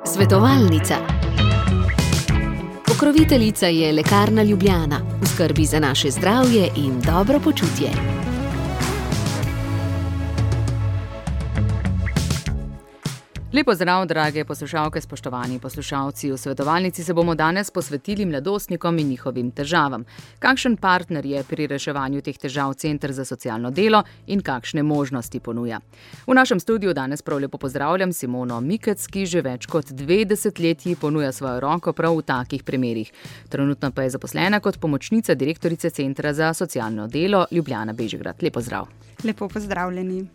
Svetovalnica. Pokroviteljica je Lekarna Ljubljana, v skrbi za naše zdravje in dobro počutje. Lepo zdrav, drage poslušalke, spoštovani poslušalci. V svetovalnici se bomo danes posvetili mladostnikom in njihovim težavam. Kakšen partner je pri reševanju teh težav Center za socialno delo in kakšne možnosti ponuja? V našem studiu danes prav lepo pozdravljam Simono Mikec, ki že več kot 2 desetletji ponuja svojo roko prav v takih primerih. Trenutno pa je zaposlena kot pomočnica direktorice Centra za socialno delo Ljubljana Bežigrad. Lepo zdrav. Lepo pozdravljeni.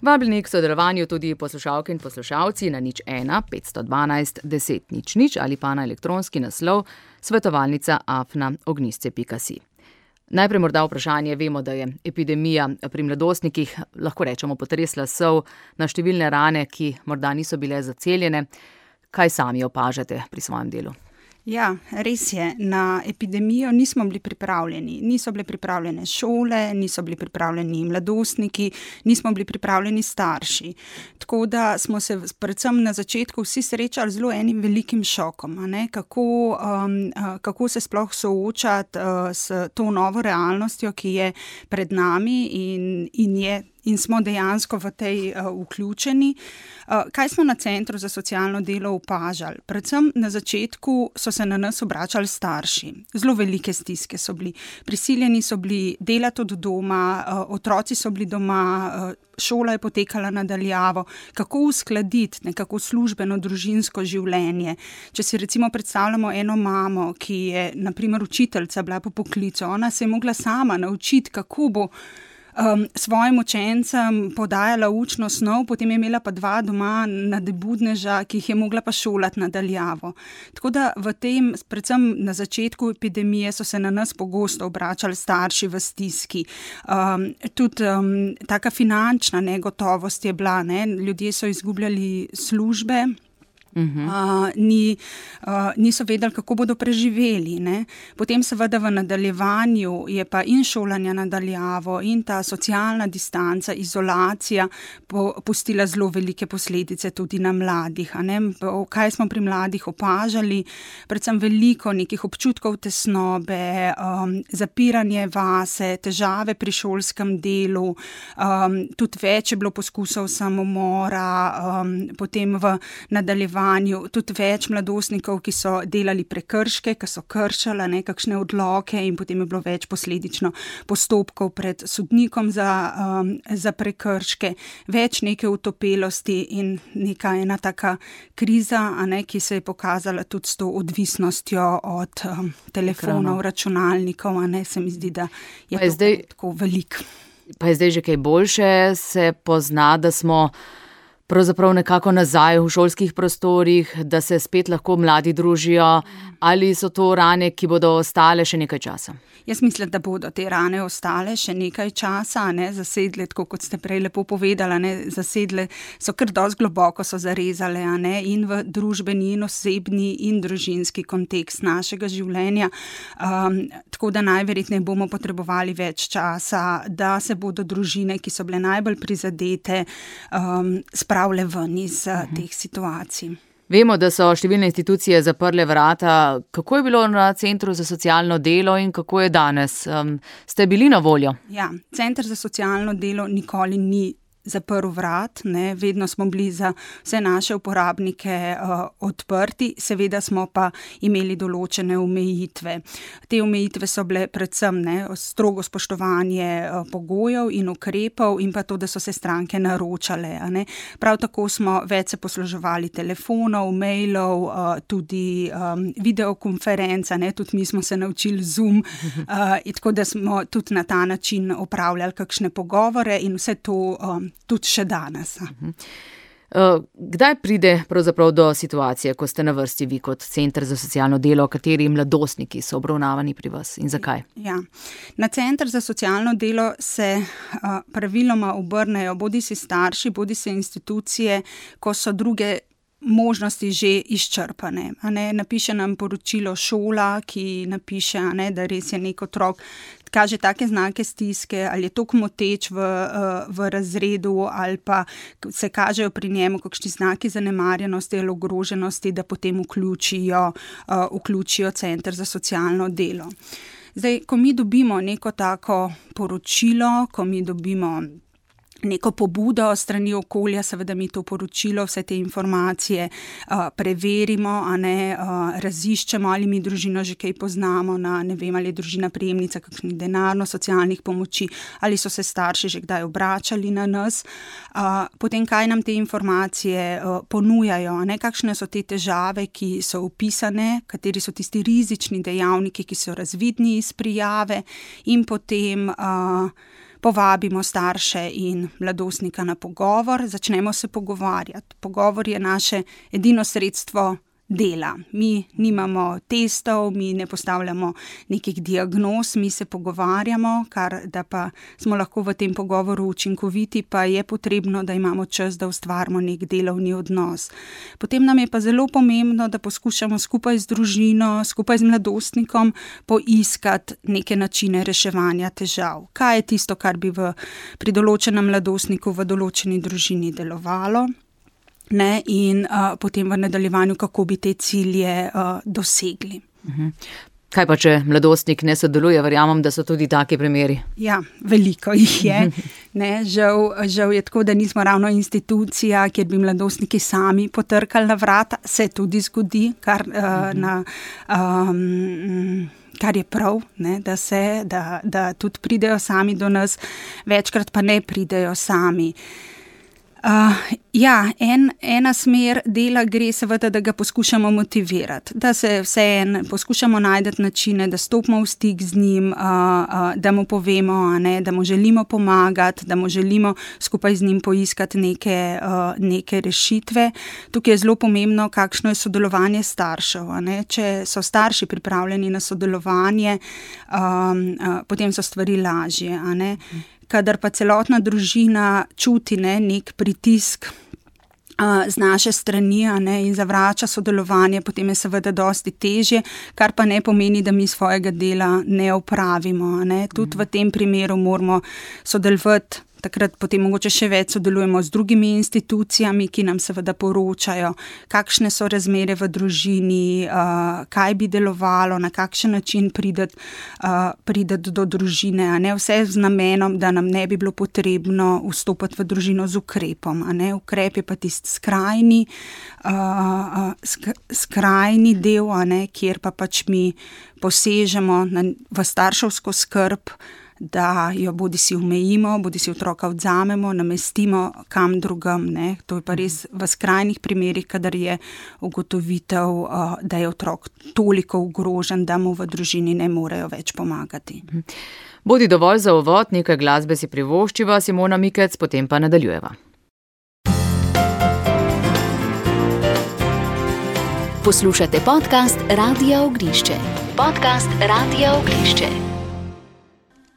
Vabljeni k sodelovanju tudi poslušalke in poslušalci na 01 512 10 00 ali pa na elektronski naslov svetovalnica@ognisce.si. Najprej morda vprašanje. Vemo, da je epidemija pri mladostnikih, lahko rečemo, potresla sol na številne rane, ki morda niso bile zaceljene. Kaj sami opažate pri svojem delu? Ja, res je. Na epidemijo nismo bili pripravljeni. Niso bile pripravljene šole, niso bili pripravljeni mladostniki, nismo bili pripravljeni starši. Tako da smo se predvsem na začetku vsi srečali z zelo enim velikim šokom, a ne? Kako se sploh soočati s to novo realnostjo, ki je pred nami in smo dejansko v tej vključeni. Kaj smo na Centru za socialno delo opažali? Predvsem na začetku so se na nas obračali starši. Zelo velike stiske so bili. Prisiljeni so bili delati od doma, otroci so bili doma, šola je potekala na daljavo. Kako uskladiti nekako službeno družinsko življenje? Če si recimo predstavljamo eno mamo, ki je na primer učiteljica bila po poklicu, ona se je mogla sama naučiti, kako bo svojim učencem podajala učno snov, potem je imela pa 2 doma nadebudneža, ki jih je mogla pa šolati na daljavo. Tako da v tem, predvsem na začetku epidemije, so se na nas pogosto obračali starši v stiski. Tudi taka finančna negotovost je bila, ne? Ljudje so izgubljali službe. Niso vedeli, kako bodo preživeli, ne? Potem seveda v nadaljevanju je pa in šolanja na daljavo in ta socialna distanca, izolacija pustila zelo velike posledice tudi na mladih, a ne? Kaj smo pri mladih opažali? Predvsem veliko nekih občutkov tesnobe, zapiranje vase, težave pri šolskem delu, tudi več je bilo poskusov samomora, potem v nadaljevanju tudi več mladostnikov, ki so delali prekrške, ki so kršali kakšne odloke in potem je bilo več posledično postopkov pred sodnikom za prekrške, več neke utopelosti in neka ena taka kriza, a ne, ki se je pokazala tudi s to odvisnostjo od telefonov, računalnikov, a ne, se mi zdi, da je to tako veliko. Pa je zdaj že kaj boljše, se pozna, da smo pravzaprav nekako nazaj v šolskih prostorih, da se spet lahko mladi družijo, ali so to rane, ki bodo ostale še nekaj časa? Jaz mislim, da bodo te rane ostale še nekaj časa, ne, zasedle, tako kot ste prej lepo povedala, ne, zasedle so kar dosti globoko so zarezale, a ne, in v družbeni in osebni in družinski kontekst našega življenja, tako da najverjetneje bomo potrebovali več časa, da se bodo družine, ki so bile najbolj prizadete, spravile ven iz teh situacij. Vemo, da so številne institucije zaprle vrata. Kako je bilo na Centru za socialno delo in kako je danes? Ste bili na voljo? Ja, Center za socialno delo nikoli ni zaprl vrat, ne, vedno smo bili za vse naše uporabnike odprti, seveda smo pa imeli določene omejitve. Te omejitve so bile predvsem strogo spoštovanje pogojev in ukrepov in pa to, da so se stranke naročale, a ne. Prav tako smo več se posluževali telefonov, mailov, tudi videokonferenca, ne, tudi mi smo se naučili Zoom, tako da smo tudi na ta način opravljali kakšne pogovore in vse to tudi še danes. Kdaj pride pravzaprav do situacije, ko ste na vrsti vi kot Center za socialno delo, kateri mladostniki so obravnavani pri vas in zakaj? Ja. Na Center za socialno delo se praviloma obrnejo bodisi starši, bodisi institucije, ko so druge možnosti že izčrpane. Napiše nam poročilo šola, ki napiše, da res je nek otrok, kaže take znake stiske, ali je toliko moteč v razredu, ali pa se kažejo pri njemu kakšni znaki zanemarjenosti ali ogroženosti, da potem vključijo center za socialno delo. Zdaj, ko mi dobimo neko tako poročilo, ko mi dobimo neko pobudo strani okolja, seveda mi to poročilo, vse te informacije preverimo, raziščemo, ali mi družino že kaj poznamo, ne vem, ali je družina prejemnica kakšnih denarno-socialnih pomoči, ali so se starši že kdaj obračali na nas. Potem, kaj nam te informacije ponujajo, kakšne so te težave, ki so opisane, kateri so tisti rizični dejavniki, ki so razvidni iz prijave, in potem povabimo starše in mladostnika na pogovor, začnemo se pogovarjati. Pogovor je naše edino sredstvo dela. Mi nimamo testov, mi ne postavljamo nekih diagnoz, mi se pogovarjamo, kar da pa smo lahko v tem pogovoru učinkoviti, pa je potrebno, da imamo čas, da ustvarimo nek delovni odnos. Potem nam je pa zelo pomembno, da poskušamo skupaj z družino, skupaj z mladostnikom poiskati neke načine reševanja težav. Kaj je tisto, kar bi pri določenem mladostniku v določeni družini delovalo? In potem v nadaljevanju, kako bi te cilje dosegli. Kaj pa, če mladostnik ne sodeluje? Verjamem, da so tudi taki primeri. Ja, veliko jih je. Žal je tako, da nismo ravno institucija, kjer bi mladostniki sami potrkali na vrata. Se tudi zgodi, kar je prav, da tudi pridejo sami do nas, večkrat pa ne pridejo sami. Ena smer dela gre seveda, da ga poskušamo motivirati, da se vseeno poskušamo najti načine, da stopimo v stik z njim, da mu povemo, da mu želimo pomagati, da mu želimo skupaj z njim poiskati neke rešitve. Tukaj je zelo pomembno, kakšno je sodelovanje staršev. Če so starši pripravljeni na sodelovanje, potem so stvari lažje. Kadar pa celotna družina čuti nek pritisk z naše strani in zavrača sodelovanje, potem je seveda dosti težje, kar pa ne pomeni, da mi svojega dela ne opravimo. Tudi v tem primeru moramo sodelovati. Takrat potem mogoče še več sodelujemo z drugimi institucijami, ki nam seveda poročajo, kakšne so razmere v družini, kaj bi delovalo, na kakšen način prideti do družine. Vse z namenom, da nam ne bi bilo potrebno vstopiti v družino z ukrepom. Ukrep je pa tisti skrajni del, kjer pa pač mi posežemo v starševsko skrb, da jo bodisi omejimo, bodisi otroka odzamemo, namestimo kam drugam. To je pa res v skrajnih primerih, kadar je ugotovitev, da je otrok toliko ogrožen, da mu v družini ne morejo več pomagati. Bodi dovolj za uvod, nekaj glasbe si privoščiva, Simona Mikec, potem pa nadaljujeva. Poslušate podcast Radia Ognišče.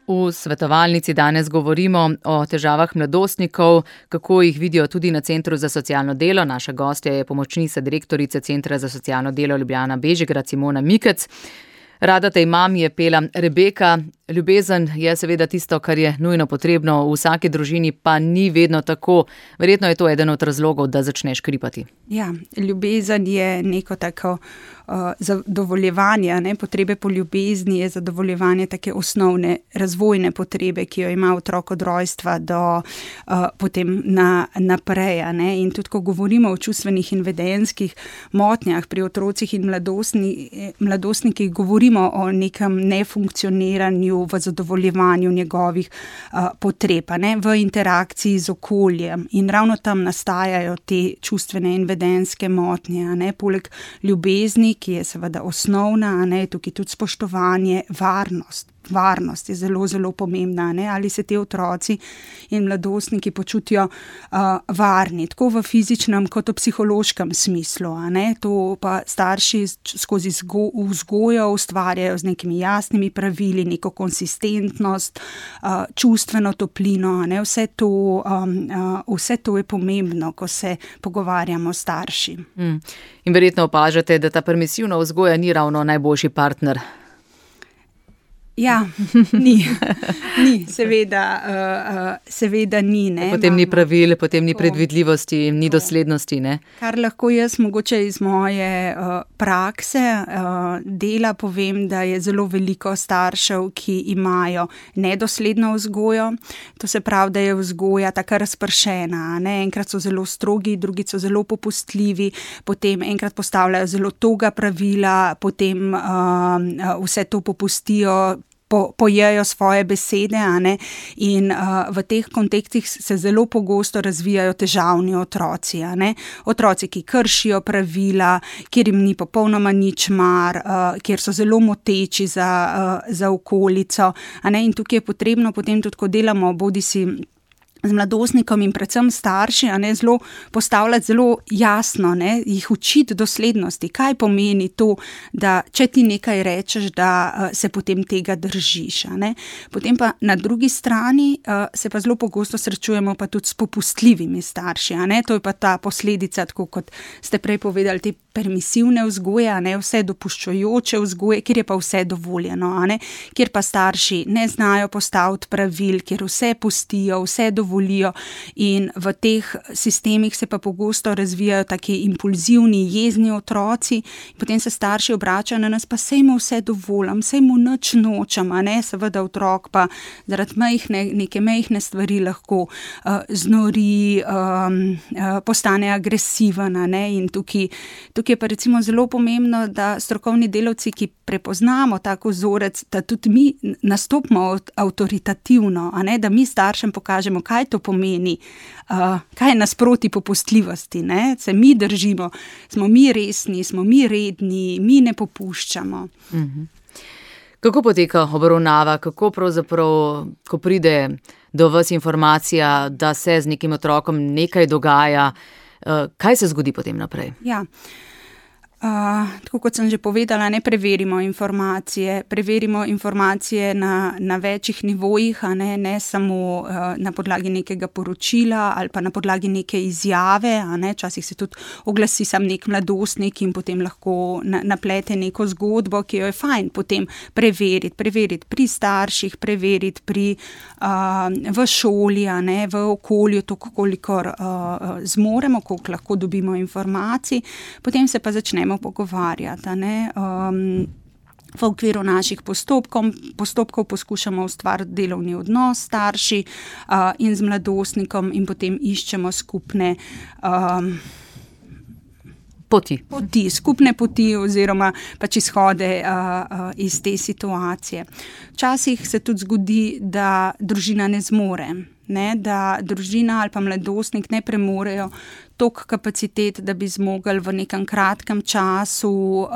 V svetovalnici danes govorimo o težavah mladostnikov, kako jih vidijo tudi na Centru za socialno delo. Naša gostja je pomočnica direktorice Centra za socialno delo Ljubljana Bežigrad, Simona Mikec. Rada te imam, je pela Rebeka. Ljubezen je seveda tisto, kar je nujno potrebno v vsaki družini, pa ni vedno tako. Verjetno je to eden od razlogov, da začneš kripati. Ja, ljubezen je neko tako zadovoljevanje, potrebe po ljubezni je zadovoljevanje take osnovne razvojne potrebe, ki jo ima otrok od rojstva do potem naprej. In tudi, ko govorimo o čustvenih in vedenjskih motnjah pri otrocih in mladostnikih, govorimo o nekem nefunkcioniranju, v zadovoljevanju njegovih potreb, v interakciji z okoljem. In ravno tam nastajajo te čustvene in vedenjske motnje. Poleg ljubezni, ki je seveda osnovna, tukaj tudi spoštovanje, varnost. Varnost je zelo, zelo pomembna. Ali se te otroci in mladostniki počutijo varni, tako v fizičnem kot v psihološkem smislu. To pa starši skozi vzgojo ustvarjajo z nekimi jasnimi pravili, neko konsistentnost, čustveno toplino. Vse to je pomembno, ko se pogovarjamo s starši. In verjetno opažate, da ta permisivna vzgoja ni ravno najboljši partner. Ja, ni, seveda ni. Ne, potem ni pravil, potem ni predvidljivosti, ni doslednosti. Ne? Kar lahko jaz mogoče iz moje prakse dela povem, da je zelo veliko staršev, ki imajo nedosledno vzgojo. To se pravi, da je vzgoja taka razpršena. Ne? Enkrat so zelo strogi, drugi so zelo popustljivi, potem enkrat postavljajo zelo toga pravila, potem vse to popustijo, pojejo svoje besede, a ne? In v teh kontekstih se zelo pogosto razvijajo težavni otroci, a ne? Otroci, ki kršijo pravila, kjer jim ni popolnoma nič mar, kjer so zelo moteči za okolico, a ne? In tukaj je potrebno potem tudi, ko delamo bodisi z mladostnikom in predvsem starši, a ne, zelo postavljati zelo jasno, ne, jih učiti doslednosti, kaj pomeni to, da če ti nekaj rečeš, da se potem tega držiš, a ne. Potem pa na drugi strani se pa zelo pogosto srečujemo pa tudi s popustljivimi starši, a ne, to je pa ta posledica, tako kot ste prej povedali, te permisivne vzgoje, a ne, vse dopuščajoče vzgoje, kjer je pa vse dovoljeno, a ne, kjer pa starši ne znajo postaviti pravil, kjer vse pustijo, vse dovolijo in v teh sistemih se pa pogosto razvijajo taki impulzivni, jezni otroci, potem se starši obračajo na nas, pa sej mu vse dovolim, sej mu nič nočem, a ne, seveda otrok pa zaradi neke majhne stvari lahko znori, postane agresiven, a ne, in tukaj je pa recimo zelo pomembno, da strokovni delavci, ki prepoznamo tak vzorec, da tudi mi nastopimo avtoritativno, a ne, da mi staršem pokažemo, kaj to pomeni, kaj je nasproti popustljivosti, ne, se mi držimo, smo mi resni, smo mi redni, mi ne popuščamo. Kako poteka obravnava, kako pravzaprav, ko pride do vas informacija, da se z nekim otrokom nekaj dogaja, kaj se zgodi potem naprej? Ja. Tako kot sem že povedala, ne preverimo informacije na večjih nivojih, a ne samo na podlagi nekega poročila ali pa na podlagi neke izjave, a ne, včasih se tudi oglasi sam nek mladostnik in potem lahko naplete neko zgodbo, ki jo je fajn potem preveriti pri starših, preveriti v šoli, a ne, v okolju, toliko kolikor zmoremo, koliko lahko dobimo informacij, potem se pa začnemo pogovarjati, ne. V okviru naših postopkov poskušamo ustvariti delovni odnos s starši in z mladostnikom in potem iščemo skupne skupne poti oziroma pač izhode iz te situacije. Včasih se tudi zgodi, da družina ne zmore, ne, da družina ali pa mladostnik ne premorejo toliko kapacitet, da bi zmogli v nekem kratkem času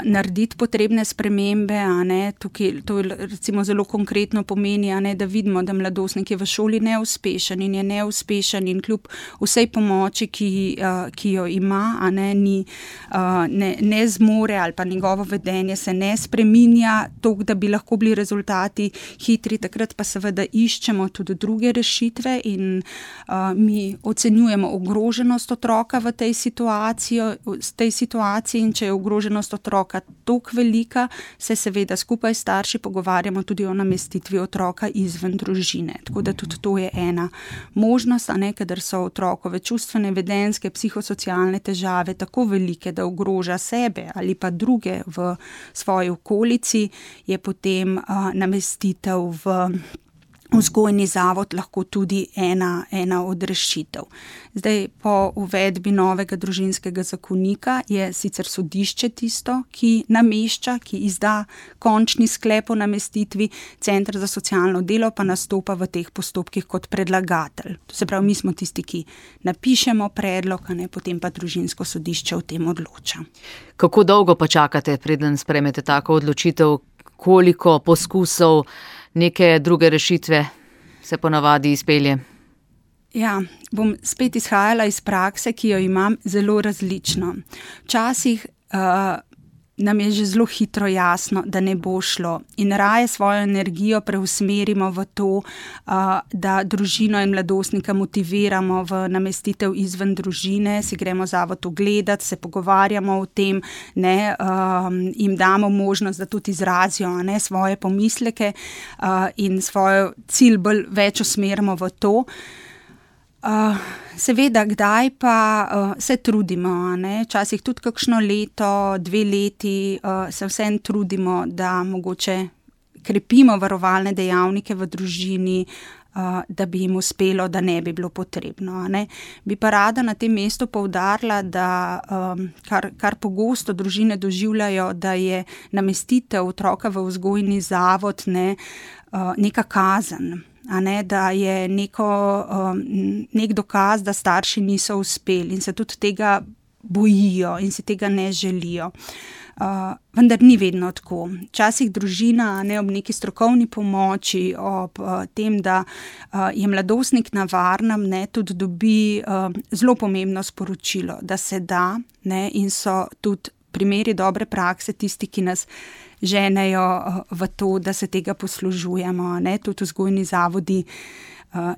narediti potrebne spremembe, a ne, tukaj to recimo zelo konkretno pomeni, a ne, da vidimo, da mladostnik je v šoli neuspešen in kljub vsej pomoči, ki jo ima, a ne, ne zmore ali pa njegovo vedenje se ne spreminja toliko, da bi lahko bili rezultati hitri, takrat pa seveda iščemo tudi druge rešitve in mi ocenjujemo ogroženost otroka v tej situaciji in če je ogroženost otroka toliko velika, se seveda skupaj s starši pogovarjamo tudi o namestitvi otroka izven družine. Tako da tudi to je ena možnost, a ne, kadar so otrokove čustvene, vedenjske, psihosocialne težave tako velike, da ogroža sebe ali pa druge v svoji okolici, je potem namestitev v vzgojni zavod lahko tudi ena od rešitev. Zdaj, po uvedbi novega družinskega zakonika je sicer sodišče tisto, ki namešča, ki izda končni sklep o namestitvi, Center za socialno delo pa nastopa v teh postopkih kot predlagatelj. To se pravi, mi smo tisti, ki napišemo predlog, a ne, potem pa družinsko sodišče o tem odloča. Kako dolgo pa čakate, preden sprejmete tako odločitev, koliko poskusov neke druge rešitve se ponavadi izpelje? Ja, bom spet izhajala iz prakse, ki jo imam zelo različno. Včasih nam je že zelo hitro jasno, da ne bo šlo. In raje svojo energijo preusmerimo v to, da družino in mladostnika motiviramo v namestitev izven družine, si gremo zavod ogledati, se pogovarjamo o tem, ne, jim damo možnost, da tudi izrazijo, ne, svoje pomisleke in svoj cilj več usmerimo v to. Seveda, kdaj pa se trudimo, ne? Včasih tudi kakšno leto, 2 leti se vsem trudimo, da mogoče krepimo varovalne dejavnike v družini, da bi jim uspelo, da ne bi bilo potrebno. Ne? Bi pa rada na tem mestu poudarila, da kar pogosto družine doživljajo, da je namestitev otroka v vzgojni zavod neka kazen. Ne, da je nek dokaz, da starši niso uspeli in se tudi tega bojijo in si tega ne želijo. Vendar ni vedno tako. Včasih družina ob neki strokovni pomoči, ob tem, da je mladostnik na varnem, tudi dobi zelo pomembno sporočilo, da se da, in so tudi primeri dobre prakse tisti, ki nas ženejo v to, da se tega poslužujemo. Tudi vzgojni zavodi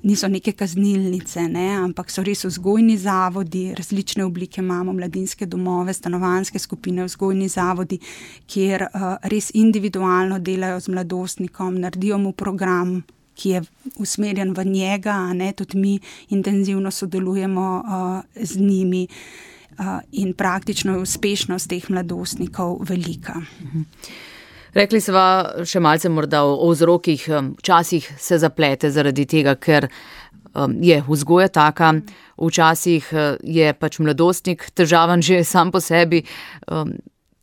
niso neke kaznilnice, ampak so res vzgojni zavodi, različne oblike imamo, mladinske domove, stanovanjske skupine, vzgojni zavodi, kjer res individualno delajo z mladostnikom, naredijo mu program, ki je usmerjen v njega, tudi mi intenzivno sodelujemo z njimi. In praktično je uspešnost teh mladostnikov velika. Rekli sva še malce morda o vzrokih, včasih se zaplete zaradi tega, ker je vzgoja taka, včasih je pač mladostnik težaven že sam po sebi.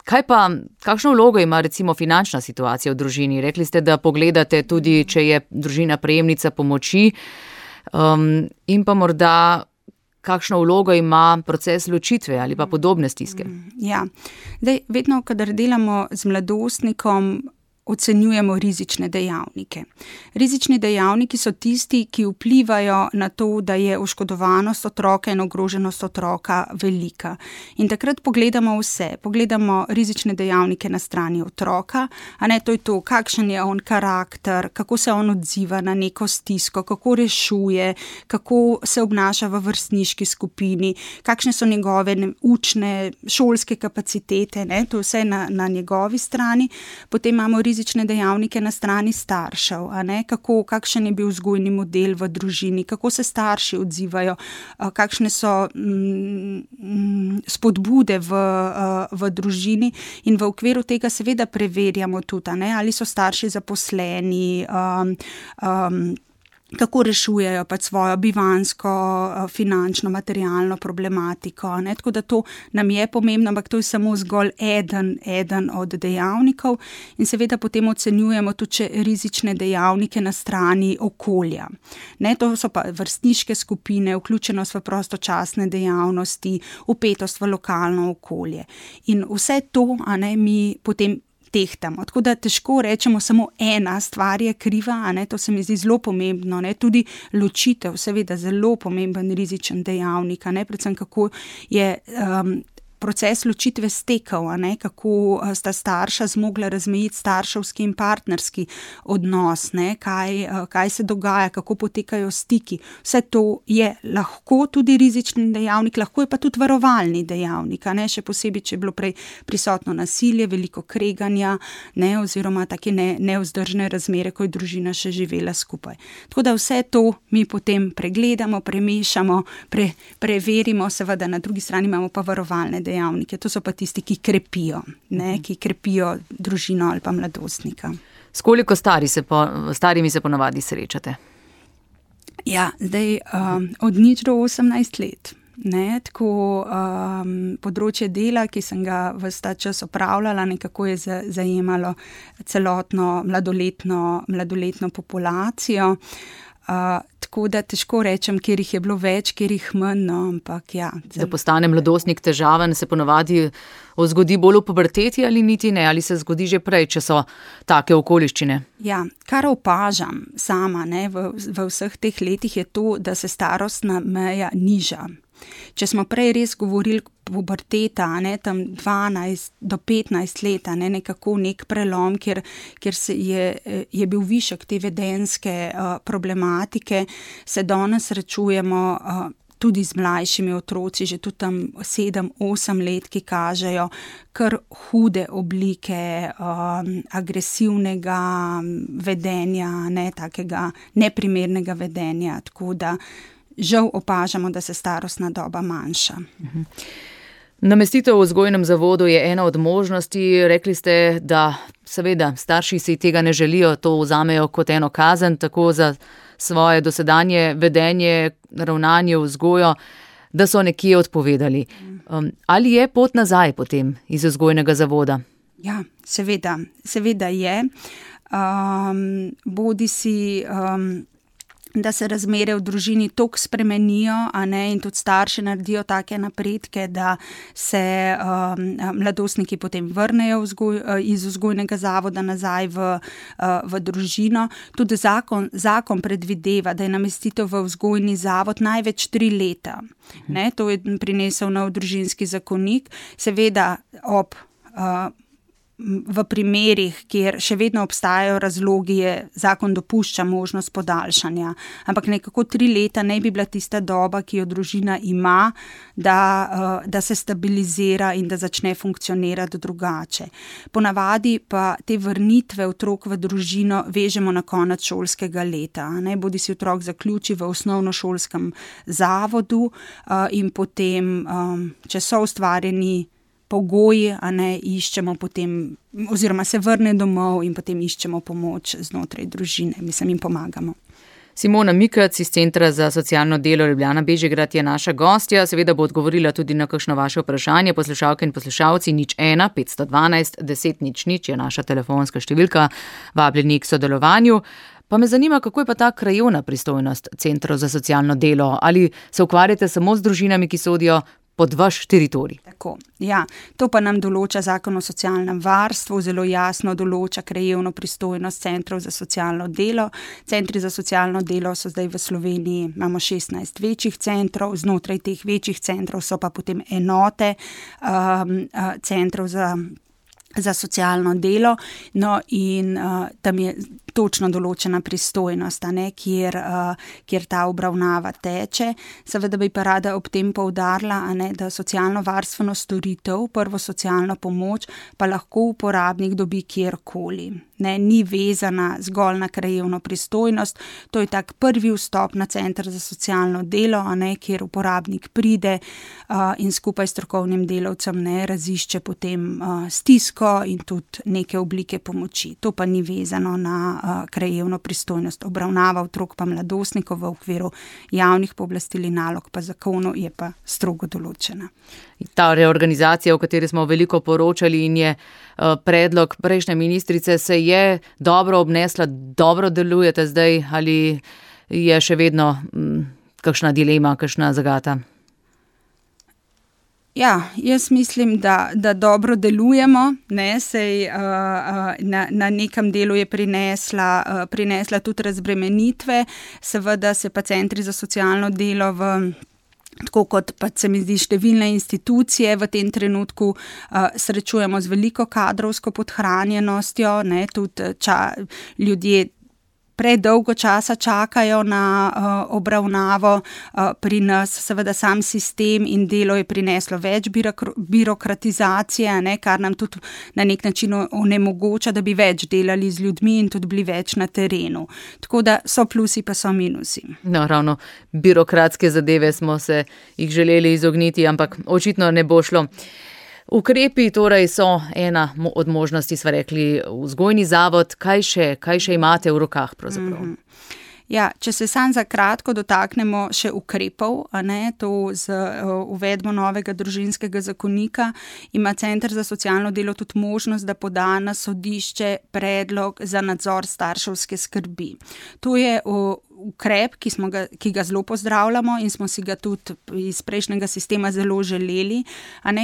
Kakšno vlogo ima recimo finančna situacija v družini? Rekli ste, da pogledate tudi, če je družina prejemnica pomoči, in pa morda kakšno vlogo ima proces ločitve ali pa podobne stiske? Ja, vedno, kadar delamo z mladostnikom, ocenjujemo rizične dejavnike. Rizični dejavniki so tisti, ki vplivajo na to, da je oškodovanost otroka in ogroženost otroka velika. In takrat pogledamo vse. Pogledamo rizične dejavnike na strani otroka, to je to, kakšen je on karakter, kako se on odziva na neko stisko, kako rešuje, kako se obnaša v vrstniški skupini, kakšne so njegove učne, šolske kapacitete, to je vse na njegovi strani. Potem imamo rizične dejavnike na strani staršev, kakšen je bil vzgojni model v družini, kako se starši odzivajo, kakšne so spodbude v družini in v okviru tega seveda preverjamo tudi, ali so starši zaposleni, kako rešujejo pač svojo bivanjsko, finančno, materialno problematiko. Tako da to nam je pomembno, ampak to je samo zgolj eden od dejavnikov in seveda potem ocenjujemo tudi rizične dejavnike na strani okolja. To so pa vrstniške skupine, vključenost v prostočasne dejavnosti, vpetost v lokalno okolje. In vse to mi potem tehtamo. Tako da težko rečemo samo ena stvar je kriva, to se mi zdi zelo pomembno, tudi ločitev, seveda zelo pomemben rizičen dejavnik, predvsem kako je proces ločitve stekel, kako sta starša zmogla razmejiti starševski in partnerski odnos, kaj se dogaja, kako potekajo stiki. Vse to je lahko tudi rizični dejavnik, lahko je pa tudi varovalni dejavnik, še posebej, če je bilo prej prisotno nasilje, veliko kreganja, oziroma take nevzdržne razmere, ko je družina še živela skupaj. Tako da vse to mi potem pregledamo, premešamo, preverimo, seveda na drugi strani imamo pa varovalne dejavnike. To so pa tisti, ki krepijo družino ali pa mladostnika. S koliko starimi se ponavadi srečate? Ja, zdaj od 0 do 18 let. Tako področje dela, ki sem ga ves ta čas opravljala, nekako je zajemalo celotno mladoletno populacijo. Tako da težko rečem, kjer jih je bilo več, kjer jih manj, ampak ja. Da postane mladostnik težaven, se ponavadi zgodi bolj v puberteti ali niti ne, ali se zgodi že prej, če so take okoliščine? Ja, kar opažam sama v vseh teh letih je to, da se starostna meja niža. Če smo prej res govorili puberteta, tam 12 do 15 let, nekako nek prelom, kjer je bil višek te vedenjske problematike, se danes srečujemo tudi z mlajšimi otroci, že tudi tam 7-8 let, ki kažejo kar hude oblike agresivnega vedenja, takega neprimernega vedenja, tako da žal opažamo, da se starostna doba manjša. Namestitev v vzgojnem zavodu je ena od možnosti. Rekli ste, da seveda starši si tega ne želijo, to vzamejo kot eno kazen, tako za svoje dosedanje vedenje, ravnanje, vzgojo, da so nekje odpovedali. Ali je pot nazaj potem iz vzgojnega zavoda? Ja, seveda je. Bodisi da se razmere v družini toliko spremenijo, in tudi starši naredijo take napredke, da se mladostniki potem vrnejo iz vzgojnega zavoda nazaj v družino. Tudi zakon predvideva, da je namestitev v vzgojni zavod največ 3 leta. To je prinesel nov družinski zakonik, seveda v primerih, kjer še vedno obstajajo razlogi, zakon dopušča možnost podaljšanja. Ampak nekako 3 leta ne bi bila tista doba, ki jo družina ima, da se stabilizira in da začne funkcionirati drugače. Ponavadi pa te vrnitve otrok v družino vežemo na konec šolskega leta. Bodi si otrok zaključi v osnovnošolskem zavodu in potem, če so ustvarjeni pogoji, iščemo potem, oziroma se vrne domov in potem iščemo pomoč znotraj družine, jim pomagamo. Simona Mikec iz Centra za socialno delo Ljubljana Bežigrad je naša gostja, seveda bo odgovorila tudi na kakšno vaše vprašanje. Poslušalke in poslušalci 01 512 10 00 je naša telefonska številka, vabljeni k sodelovanju. Pa me zanima, kako je pa ta krajevna pristojnost Centrov za socialno delo? Ali se ukvarjate samo z družinami, ki sodijo pod vaš teritorij? Tako, ja. To pa nam določa Zakon o socialnem varstvu, zelo jasno določa krajevno pristojnost Centrov za socialno delo. Centri za socialno delo so zdaj v Sloveniji, imamo 16 večjih centrov, znotraj teh večjih centrov so pa potem enote Centrov za socialno delo, in tam je točno določena pristojnost, kjer ta obravnava teče. Seveda bi pa rada ob tem poudarila, da socialno-varstveno storitev, prvo socialno pomoč, pa lahko uporabnik dobi kjerkoli. Ni vezana zgolj na krajevno pristojnost, to je tak prvi vstop na Center za socialno delo, kjer uporabnik pride in skupaj s strokovnim delavcem razišče potem stisko in tudi neke oblike pomoči. To pa ni vezano na krajevno pristojnost. Obravnava otrok pa mladostnikov v okviru javnih pooblastil in nalog pa zakonu je pa strogo določena. Ta reorganizacija, o kateri smo veliko poročali in je predlog prejšnje ministrice, se je dobro obnesla, dobro delujete zdaj ali je še vedno kakšna dilema, kakšna zagata? Ja, jaz mislim, da dobro delujemo, sej na nekem delu je prinesla tudi razbremenitve, seveda se pa centri za socialno delo tako kot pa se mi zdi številne institucije v tem trenutku srečujemo z veliko kadrovsko podhranjenostjo, tudi ljudje predolgo časa čakajo na obravnavo pri nas, seveda sam sistem in delo je prineslo več birokratizacije, kar nam tudi na nek način onemogoča, da bi več delali z ljudmi in tudi bili več na terenu. Tako da so plusi pa so minusi. No, ravno birokratske zadeve smo se jih želeli izogniti, ampak očitno ne bo šlo. Ukrepi torej so ena od možnosti, sva rekli, vzgojni zavod. Kaj še imate v rokah pravzaprav? Ja, če se sam za kratko dotaknemo še ukrepov, to z uvedbo novega družinskega zakonika, ima Center za socialno delo tudi možnost, da poda na sodišče predlog za nadzor starševske skrbi. To je ukrep, ki ga zelo pozdravljamo in smo si ga tudi iz prejšnjega sistema zelo želeli.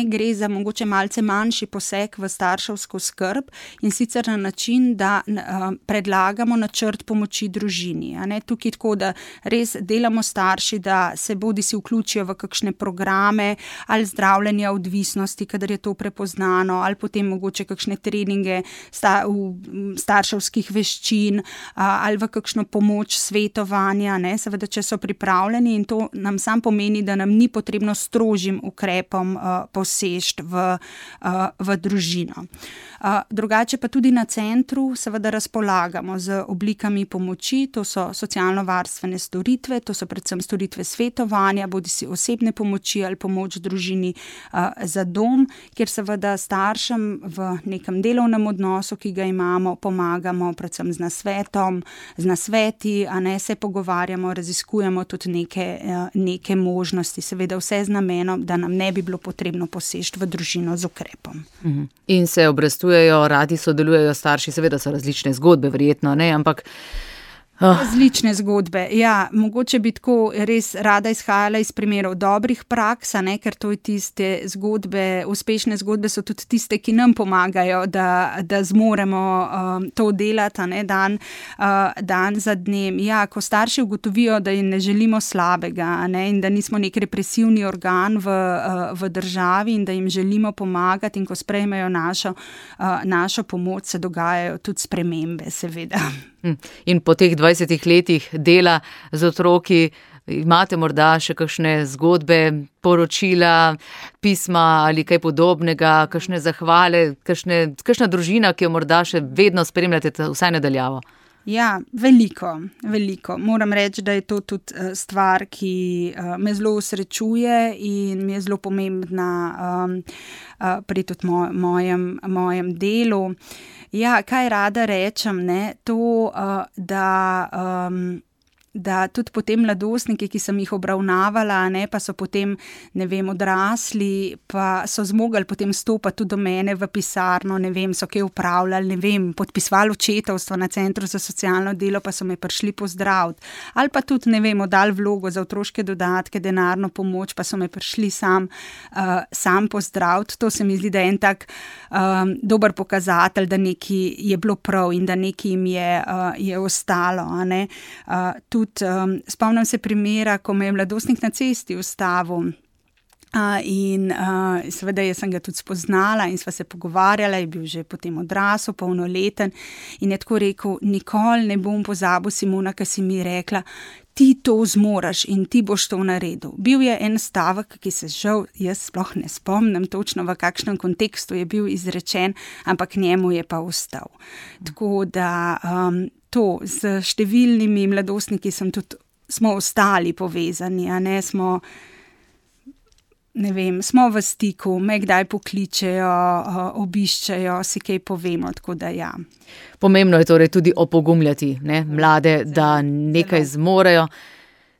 Gre za mogoče malce manjši poseg v starševsko skrb in sicer na način, da predlagamo načrt pomoči družini. Tukaj tako, da res delamo starši, da se bodisi vključijo v kakšne programe ali zdravljenja odvisnosti, kadar je to prepoznano, ali potem mogoče kakšne treninge starševskih veščin ali v kakšno pomoč svetovanja, seveda, če so pripravljeni, in to nam sam pomeni, da nam ni potrebno strožjim ukrepom poseči v družino. Drugače pa tudi na centru seveda razpolagamo z oblikami pomoči, to so socialno-varstvene storitve, to so predvsem storitve svetovanja, bodisi osebne pomoči ali pomoč družini za dom, kjer seveda staršem v nekem delovnem odnosu, ki ga imamo, pomagamo predvsem z nasvetom, z nasveti, se pogovarjamo, raziskujemo tudi neke možnosti, seveda vse z namenom, da nam ne bi bilo potrebno poseči v družino z ukrepom. In se obrestujejo, radi sodelujejo starši, seveda so različne zgodbe, verjetno, ampak različne zgodbe. Ja, mogoče bi tako res rada izhajala iz primerov dobrih praks, ker to je tiste zgodbe, uspešne zgodbe so tudi tiste, ki nam pomagajo, da zmoremo to delati, dan za dnem. Ja, ko starši ugotovijo, da jim ne želimo slabega, in da nismo nek represivni organ v državi in da jim želimo pomagati, in ko sprejmejo našo pomoč, se dogajajo tudi spremembe, seveda. In po teh 20 letih dela z otroki imate morda še kakšne zgodbe, poročila, pisma ali kaj podobnega, kakšne zahvale, kakšna družina, ki jo morda še vedno spremljate vsaj nadaljavo? Ja, veliko. Moram reči, da je to tudi stvar, ki me zelo osrečuje in mi je zelo pomembna pri tudi mojem delu. Ja, kaj rada rečem, to, da tudi potem mladostniki, ki sem jih obravnavala, pa so potem, odrasli, pa so zmogli potem stopati tudi do mene v pisarno, so kaj upravljali, podpisovali očetovstvo na Centru za socialno delo, pa so me prišli pozdraviti. Ali pa tudi, oddali vlogo za otroške dodatke, denarno pomoč, pa so me prišli sam pozdraviti. To se mi zdi, da je en tak dober pokazatelj, da nekaj je bilo prav in da nekaj jim je ostalo, Tudi spomnim se primera, ko me je mladostnik na cesti ustavil in seveda jaz sem ga tudi spoznala in sva se pogovarjala, je bil že potem odrasel, polnoleten in je tako rekel: nikoli ne bom pozabil, Simona, ki si mi rekla, ti to zmoraš in ti boš to naredil. Bil je en stavek, ki se žal jaz sploh ne spomnim točno, v kakšnem kontekstu je bil izrečen, ampak njemu je pa ostal. Tako da to z številnimi mladostniki smo ostali povezani, smo v stiku, me kdaj pokličejo, obiščejo, si kaj povemo, tako da ja. Pomembno je torej tudi opogumljati mlade, da nekaj zmorejo,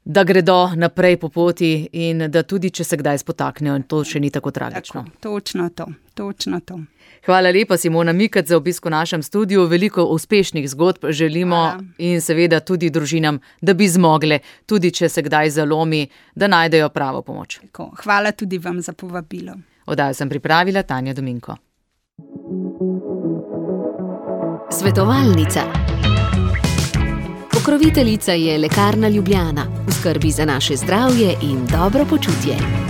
da gredo naprej po poti in da tudi, če se kdaj spotaknejo, to še ni tako tragično. Tako, točno to. Hvala lepa, Simona Mikec, za obisk v našem studiu. Veliko uspešnih zgodb želimo. Hvala. In seveda tudi družinam, da bi zmogle, tudi če se kdaj zalomi, da najdejo pravo pomoč. Tako, hvala tudi vam za povabilo. Oddajo sem pripravila Tanja Dominko. Svetovalnica. Pokroviteljica je Lekarna Ljubljana, v skrbi za naše zdravje in dobro počutje.